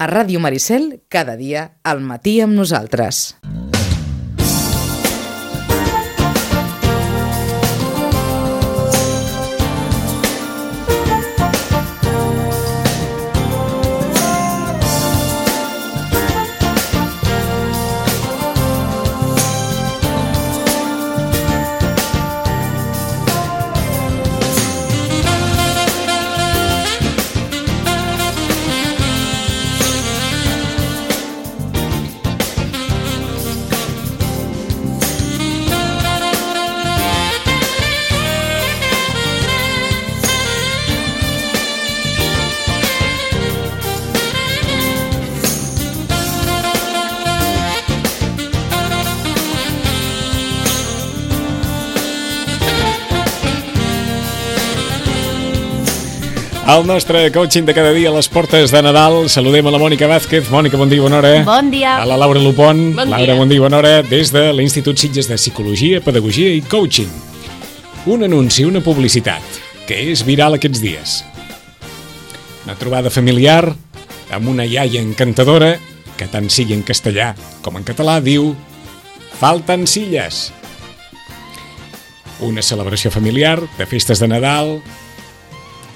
A Ràdio Maricel, cada dia, al matí amb nosaltres. Al nostre coaching de cada dia a les portes de Nadal saludem a la Mònica Vázquez. Mònica, bon dia, bona hora. Bon dia. A la Laura Lupón. Bon Laura, dia. bon dia, bona hora. Des de l'Institut Sitges de Psicologia, Pedagogia i Coaching. Un anunci, una publicitat, que és viral aquests dies. Una trobada familiar amb una iaia encantadora que tant sigui en castellà com en català diu «Falten silles». Una celebració familiar de festes de Nadal,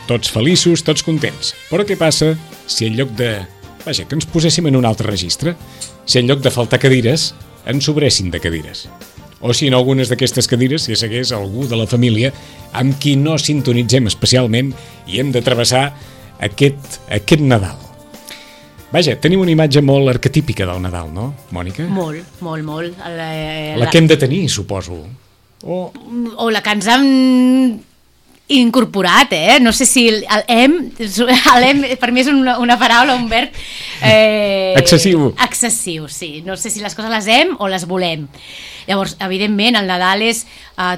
tots feliços, tots contents. Però què passa si en lloc de... Vaja, que ens poséssim en un altre registre? Si en lloc de faltar cadires, ens sobressin de cadires. O si en algunes d'aquestes cadires hi segués algú de la família amb qui no sintonitzem especialment i hem de travessar aquest Nadal. Vaja, tenim una imatge molt arquetípica del Nadal, no, Mònica? Molt, molt, molt. La que hem de tenir, suposo. O la que ens han incorporat, no sé si l'hem per mi és una paraula, un verb excessiu, sí, no sé si les coses les hem o les volem. Llavors, evidentment, el Nadal és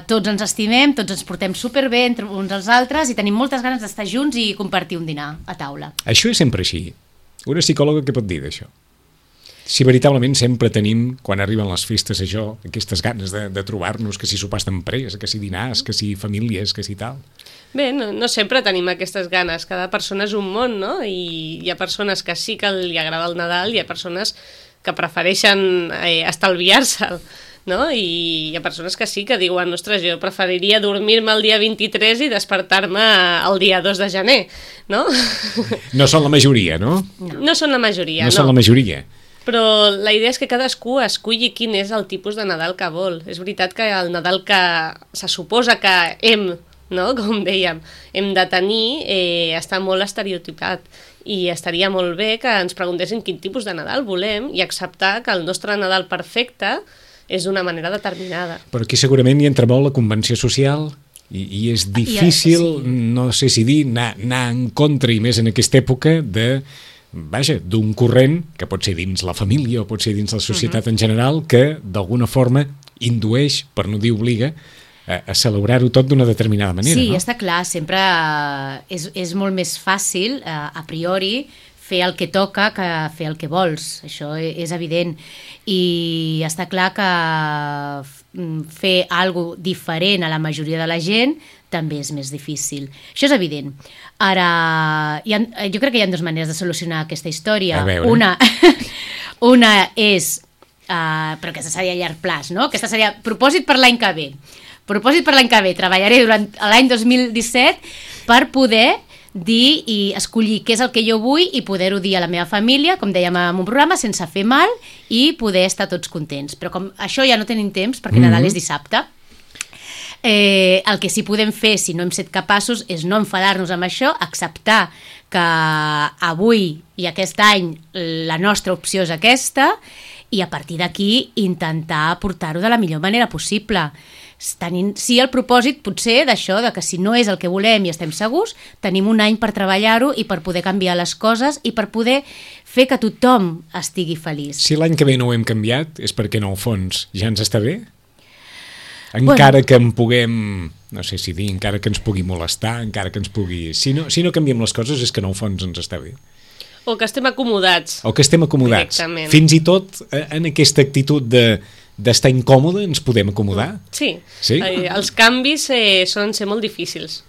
tots ens estimem, tots ens portem superbé entre uns als altres i tenim moltes ganes d'estar junts i compartir un dinar a taula. Això és sempre així. Una psicòloga què pot dir d'això? Si veritablement sempre tenim, quan arriben les festes, això, aquestes ganes de trobar-nos, que si sopars d'empresa, que si dinars, que si famílies, que si tal. Bé, no sempre tenim aquestes ganes, cada persona és un món, no? I hi ha persones que sí que li agrada el Nadal, hi ha persones que prefereixen estalviar-se'l, no? I hi ha persones que sí que diuen, ostres, jo preferiria dormir-me el dia 23 i despertar-me el dia 2 de gener, no? No són la majoria, no? No són la majoria, no. No són la majoria. Però la idea és que cadascú esculli quin és el tipus de Nadal que vol. És veritat que el Nadal que se suposa que hem, no? Com dèiem, hem de tenir, està molt estereotipat. I estaria molt bé que ens preguntessin quin tipus de Nadal volem i acceptar que el nostre Nadal perfecte és d'una manera determinada. Però aquí segurament hi entra molt la convenció social i és difícil, no sé si dir, anar en contra, i més en aquesta època, d'un corrent que pot ser dins la família o pot ser dins la societat en general, que d'alguna forma indueix, per no dir obliga, a celebrar-ho tot d'una determinada manera. Sí, no? està clar, sempre és molt més fàcil, a priori, fer el que toca que fer el que vols, això és evident. I està clar que fer alguna cosa diferent a la majoria de la gent també és més difícil. Això és evident. Ara, jo crec que hi ha dues maneres de solucionar aquesta història. A veure. Una és, però aquesta seria a llarg plaç, no? Aquesta seria propòsit per l'any que ve. Propòsit per l'any que ve. Treballaré durant l'any 2017 per poder dir i escollir què és el que jo vull i poder-ho dir a la meva família, com dèiem en un programa, sense fer mal i poder estar tots contents. Però com això ja no tenim temps, perquè Nadal és dissabte, el que sí podem fer, si no hem set capaços, és no enfadar-nos amb això, acceptar que avui i aquest any la nostra opció és aquesta i a partir d'aquí intentar portar-ho de la millor manera possible. Sí, el propòsit potser d'això, de que si no és el que volem i estem segurs, tenim un any per treballar-ho i per poder canviar les coses i per poder fer que tothom estigui feliç. Si l'any que ve no ho hem canviat, és perquè en el fons ja ens està bé? Encara que en puguem, no sé si dir, encara que ens pugui molestar, encara que ens pugui... Si no canviem les coses és que en el fons ens està bé. O que estem acomodats. O que estem acomodats. Fins i tot en aquesta actitud d'estar incòmode ens podem acomodar? Sí. Els canvis solen ser molt difícils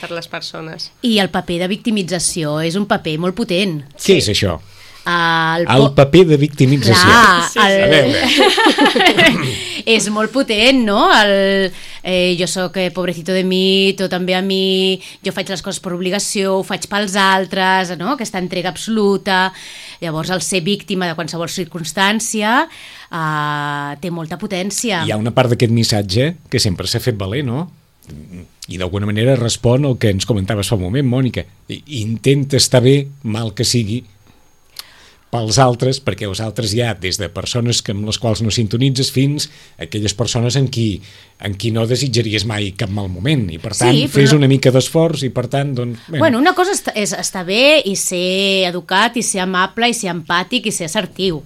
per les persones. I el paper de victimització és un paper molt potent. Què és això? El paper de victimització. Clar, A veure. és molt potent, no? Jo sóc pobrecito de mi, tot em ve a mi, jo faig les coses per obligació, ho faig pels altres, no? Aquesta entrega absoluta. Llavors, el ser víctima de qualsevol circumstància té molta potència. Hi ha una part d'aquest missatge que sempre s'ha fet valer, no? I d'alguna manera respon al que ens comentaves fa un moment, Mònica. Intenta estar bé, mal que sigui, pels altres, perquè els altres hi ha des de persones amb les quals no sintonitzes fins a aquelles persones en qui no desitjaries mai cap mal moment, i per tant fes una mica d'esforç i per tant doncs... Bueno, una cosa és estar bé i ser educat i ser amable i ser empàtic i ser assertiu.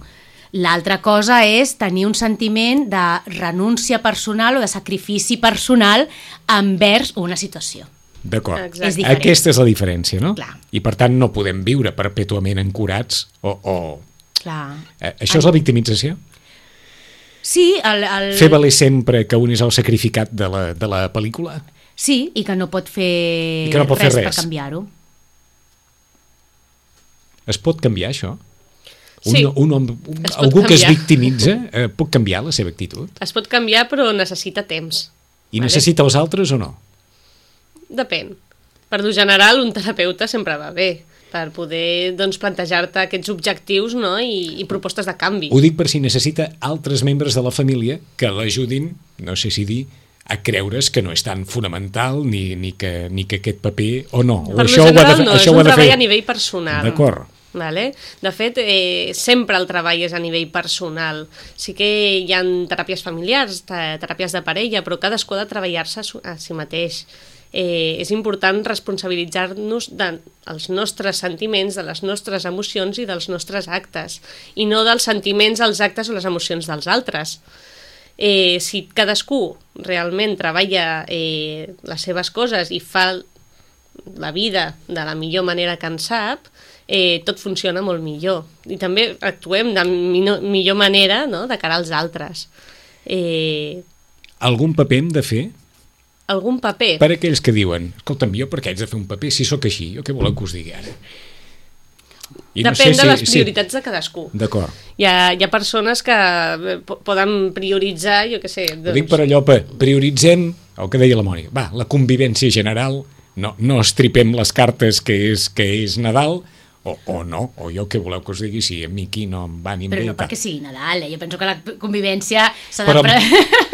L'altra cosa és tenir un sentiment de renúncia personal o de sacrifici personal envers una situació. D'acord. Exacte. Aquesta és la diferència, no? Clar. I per tant no podem viure perpètuament ancorats Clar. Això és la victimització? Sí, Fer valer sempre que un és el sacrificat de la pel·lícula? Sí, i que no pot fer, res per canviar-ho. Es pot canviar, això? Sí, algú que es victimitza pot canviar la seva actitud? Es pot canviar, però necessita temps. I necessita els altres o no? Depèn. Per lo general, un terapeuta sempre va bé, per poder doncs, plantejar-te aquests objectius, no? I propostes de canvi. Ho dic per si necessita altres membres de la família que l'ajudin, no sé si dir, a creure's que no és tan fonamental ni que aquest paper o no. Per lo general no, és un treball a nivell personal. D'acord. Vale? De fet, sempre el treball és a nivell personal. Sí que hi ha teràpies familiars, teràpies de parella, però cadascú ha de treballar-se a si mateix. És important responsabilitzar-nos dels nostres sentiments, de les nostres emocions i dels nostres actes, i no dels sentiments, els actes o les emocions dels altres. Si cadascú realment treballa les seves coses i fa la vida de la millor manera que en sap, tot funciona molt millor. I també actuem de millor manera, no?, de cara als altres. Algun paper hem de fer? Algun paper? Per aquells que diuen, escolta'm, jo per què haig de fer un paper si sóc així? Jo què voleu que us digui ara? Depèn de les prioritats de cadascú. D'acord. Hi ha persones que poden prioritzar, jo què sé... Ho dic per allò, prioritzem el que deia la Mònica. Va, la convivència general, no estripem les cartes que és Nadal, o no, o jo què voleu que us digui si a mi aquí no em va ni em ve. Però no perquè sigui Nadal, jo penso que la convivència s'ha de...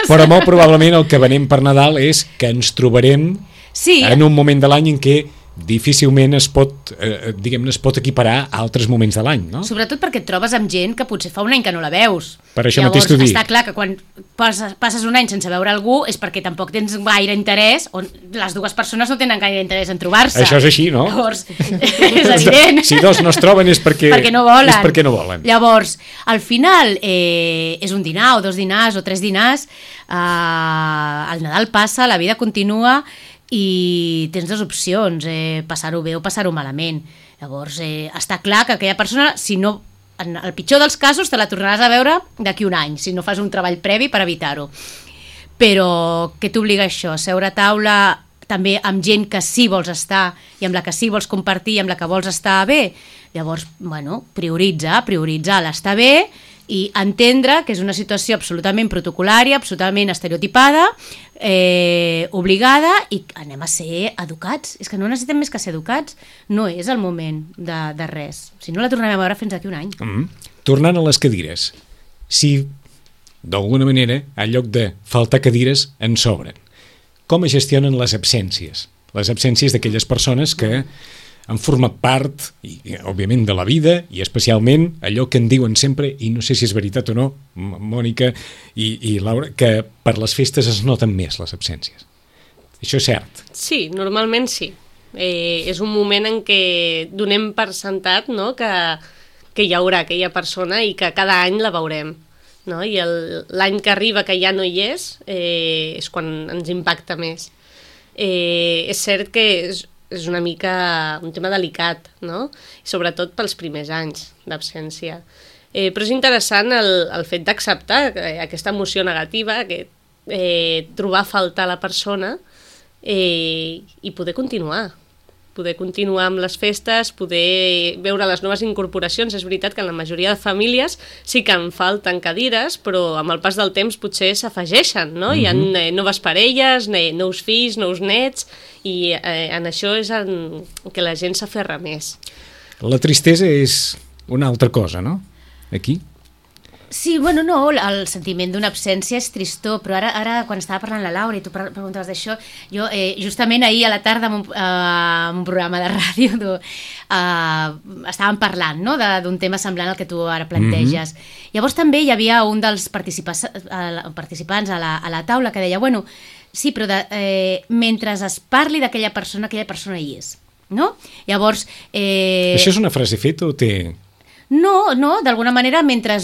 Però molt probablement el que venim per Nadal és que ens trobarem en un moment de l'any en què difícilment es pot equiparar a altres moments de l'any, no? Sobretot perquè et trobes amb gent que potser fa un any que no la veus. Per això mateix t'ho dic. Està clar que quan passes un any sense veure algú és perquè tampoc tens gaire interès, o les dues persones no tenen gaire interès en trobar-se. Això és així, no? Llavors, és evident. Si dos no es troben és perquè no volen. És perquè no volen. Llavors, al final, és un dinar, o 2 dinars, o 3 dinars, el Nadal passa, la vida continua, i tens 2 opcions, passar-ho bé o passar-ho malament. Llavors, està clar que aquella persona, si no, en el pitjor dels casos, te la tornaràs a veure d'aquí un any, si no fas un treball previ per evitar-ho. Però què t'obliga això? Seure a taula també amb gent que sí vols estar i amb la que sí vols compartir i amb la que vols estar bé? Llavors, bueno, prioritza l'estar bé i entendre que és una situació absolutament protocolària, absolutament estereotipada, obligada, i anem a ser educats. És que no necessitem més que ser educats. No és el moment de res. Si no, la tornarem a veure fins d'aquí un any. Tornant a les cadires, si d'alguna manera, en lloc de faltar cadires, en sobren, com es gestionen les absències? Les absències d'aquelles persones que han format part, òbviament, de la vida, i especialment allò que en diuen sempre, i no sé si és veritat o no, Mònica i Laura, que per les festes es noten més les absències. Això és cert? Sí, normalment sí. És un moment en què donem per sentat, no?, que hi haurà aquella persona i que cada any la veurem. No? I l'any que arriba que ja no hi és quan ens impacta més. És cert que és una mica un tema delicat, no? Sobretot pels primers anys d'absència. Però és interessant el fet d'acceptar aquesta emoció negativa, trobar a faltar la persona i poder continuar. poder continuar amb les festes, poder veure les noves incorporacions. És veritat que en la majoria de famílies sí que en falten cadires, però amb el pas del temps potser s'afegeixen, no? Hi ha noves parelles, nous fills, nous nets, i en això és en què la gent s'aferra més. La tristesa és una altra cosa, no? Aquí? Sí, bueno, no, el sentiment d'una absència és tristor, però ara quan estava parlant la Laura i tu preguntaves d'això, jo justament ahir a la tarda en un programa de ràdio estàvem parlant, no?, d'un tema semblant al que tu ara planteges. Llavors també hi havia un dels participants a la taula que deia, bueno, sí, però mentre es parli d'aquella persona hi és, no? Llavors... Això és una frase feta o té... No, d'alguna manera, mentre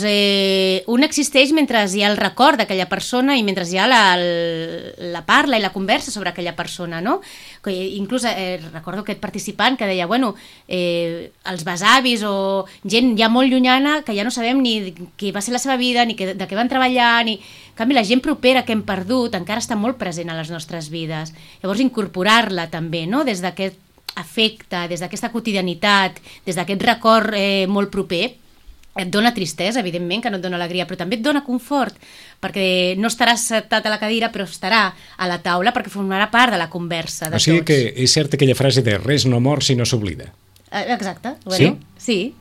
un existeix, mentre hi ha el record d'aquella persona i mentre hi ha la parla i la conversa sobre aquella persona, no? Inclús recordo aquest participant que deia, bueno, els besavis o gent ja molt llunyana que ja no sabem ni qui va ser la seva vida, ni de què van treballar, ni... En canvi, la gent propera que hem perdut encara està molt present a les nostres vides. Llavors, incorporar-la també, no?, des d'aquest afecte, des d'aquesta quotidianitat, des d'aquest record molt proper, et dona tristesa, evidentment, que no et dona alegria, però també et dona confort, perquè no estaràs sentat a la cadira, però estarà a la taula perquè formarà part de la conversa de tots. O sigui que és certa aquella frase de res no mor si no s'oblida. Exacte. Bueno, sí?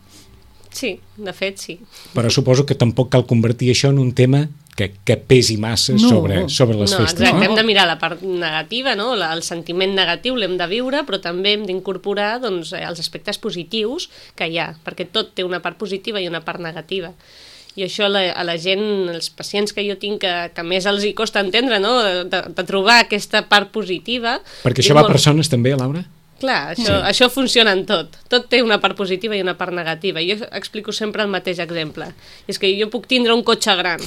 Sí, de fet, sí. Però suposo que tampoc cal convertir això en un tema que pesi massa sobre les festes. Exacte, hem de mirar la part negativa, no? El sentiment negatiu l'hem de viure, però també hem d'incorporar doncs, els aspectes positius que hi ha, perquè tot té una part positiva i una part negativa. I això a la gent, els pacients que jo tinc que més els hi costa entendre, no?, de trobar aquesta part positiva. Perquè això va a persones també, Laura? Clar, això funciona en tot. Tot té una part positiva i una part negativa. Jo explico sempre el mateix exemple. És que jo puc tindre un cotxe gran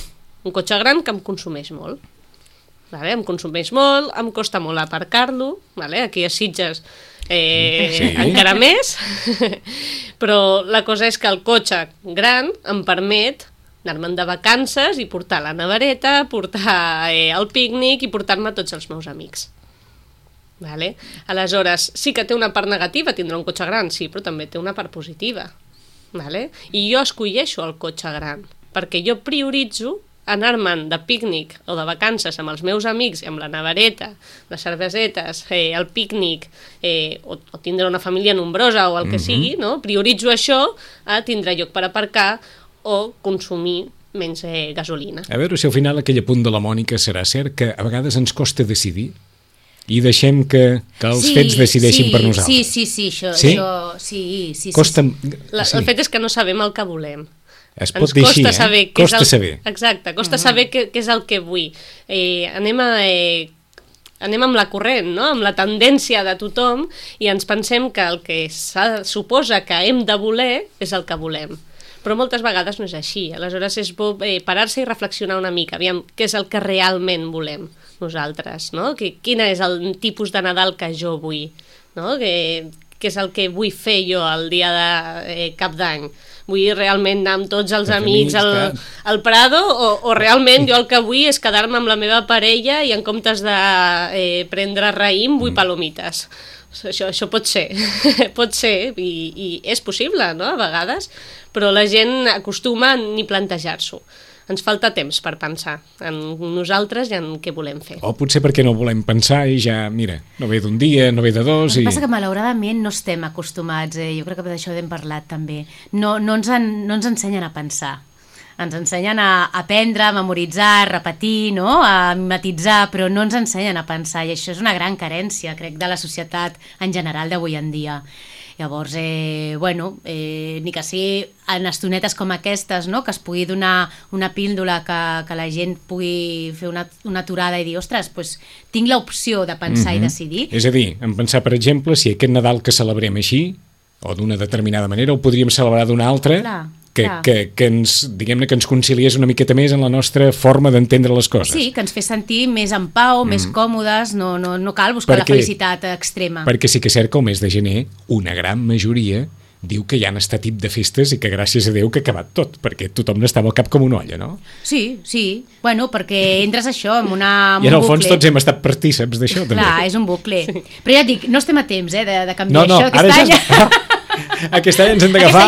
que em consumeix molt. Vale? Em consumeix molt, em costa molt aparcar-lo, vale? Aquí a Sitges encara més, però la cosa és que el cotxe gran em permet anar-me'n de vacances i portar la nevereta, portar el pícnic i portar-me tots els meus amics. Vale? Aleshores, sí que té una part negativa tindre un cotxe gran, sí, però també té una part positiva. Vale? I jo escolleixo el cotxe gran, perquè jo prioritzo anar-me'n de pícnic o de vacances amb els meus amics, amb la nevereta, les cervesetes, el pícnic, o tindre una família nombrosa o el que sigui, no? Prioritzo això a tindre lloc per aparcar o consumir menys gasolina. A veure si al final aquell apunt de la Mònica serà cert, que a vegades ens costa decidir i deixem que els fets decideixin per nosaltres. Sí, això sí. Costa... El fet és que no sabem el que volem. Es pot dir així, costa saber. Exacte, costa saber què és el que vull. Anem amb la corrent, no?, amb la tendència de tothom, i ens pensem que el que suposa que hem de voler és el que volem. Però moltes vegades no és així. Aleshores és bo parar-se i reflexionar una mica, aviam què és el que realment volem nosaltres, no? Quin és el tipus de Nadal que jo vull, no? Què és el que vull fer jo el dia de Cap d'Any? Vull realment anar amb tots els amics al Prado o realment jo el que vull és quedar-me amb la meva parella i en comptes de prendre raïm vull palomites? Això pot ser, i és possible, no?, a vegades, però la gent acostuma a ni plantejar-s'ho. Ens falta temps per pensar en nosaltres i en què volem fer. O potser perquè no volem pensar i ja, mira, no ve d'un dia, no ve de dos... El que passa que malauradament no estem acostumats, jo crec que d'això hem parlat també. No ens ensenyen a pensar. Ens ensenyen a aprendre, a memoritzar, a repetir, no?, a mimetitzar, però no ens ensenyen a pensar, i això és una gran carència, crec, de la societat en general d'avui en dia. Llavors, ni que sigui en estonetes com aquestes, no?, que es pugui donar una píndola que la gent pugui fer una aturada i dir, ostres, doncs tinc l'opció de pensar i decidir. És a dir, en pensar, per exemple, si aquest Nadal que celebrem així, o d'una determinada manera, ho podríem celebrar d'una altra, que ens conciliés una miqueta més en la nostra forma d'entendre les coses. Sí, que ens fes sentir més en pau, més còmodes, no cal buscar la felicitat extrema. Perquè sí que és cert que el mes de gener una gran majoria diu que hi ha este tip de festes i que gràcies a Déu que ha acabat tot, perquè tothom n'estava al cap com una olla, no? Sí. Bueno, perquè entres això en un I en el fons tots hem estat partíceps d'això, també. Clar, és un bucle. Però ja et dic, no estem a temps de canviar això. Ara aquest any ens hem d'agafar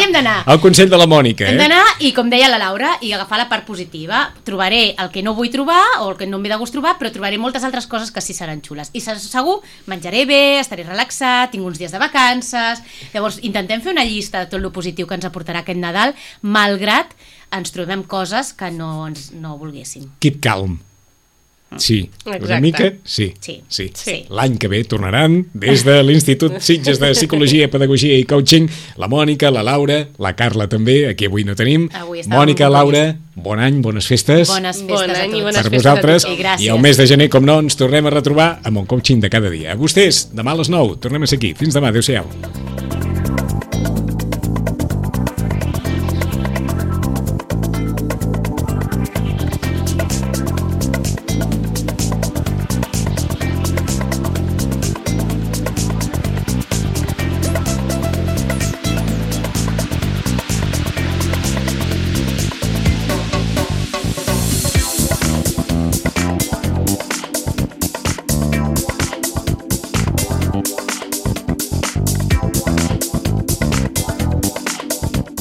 al Consell de la Mònica. Hem d'anar i, com deia la Laura, i agafar la part positiva. Trobaré el que no vull trobar o el que no em ve de gust trobar, però trobaré moltes altres coses que sí seran xules. I segur, menjaré bé, estaré relaxat, tinc uns dies de vacances. Llavors, intentem fer una llista de tot el positiu que ens aportarà aquest Nadal, malgrat ens trobem coses que no volguéssim. Keep calm. Sí, exacte. Una mica, sí. L'any que ve tornaran des de l'Institut Sitges de Psicologia, Pedagogia i Coaching la Mònica, la Laura, la Carla també, aquí avui no tenim. Mònica, Laura, bon any, bones festes. Bones festes bon any a tots. Per vosaltres. I el mes de gener, com no, ens tornem a retrobar amb un coaching de cada dia. A vostès, demà a les 9, tornem a ser aquí. Fins demà, adéu-siau.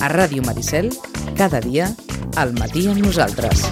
A Ràdio Maricel, cada dia, al matí amb nosaltres.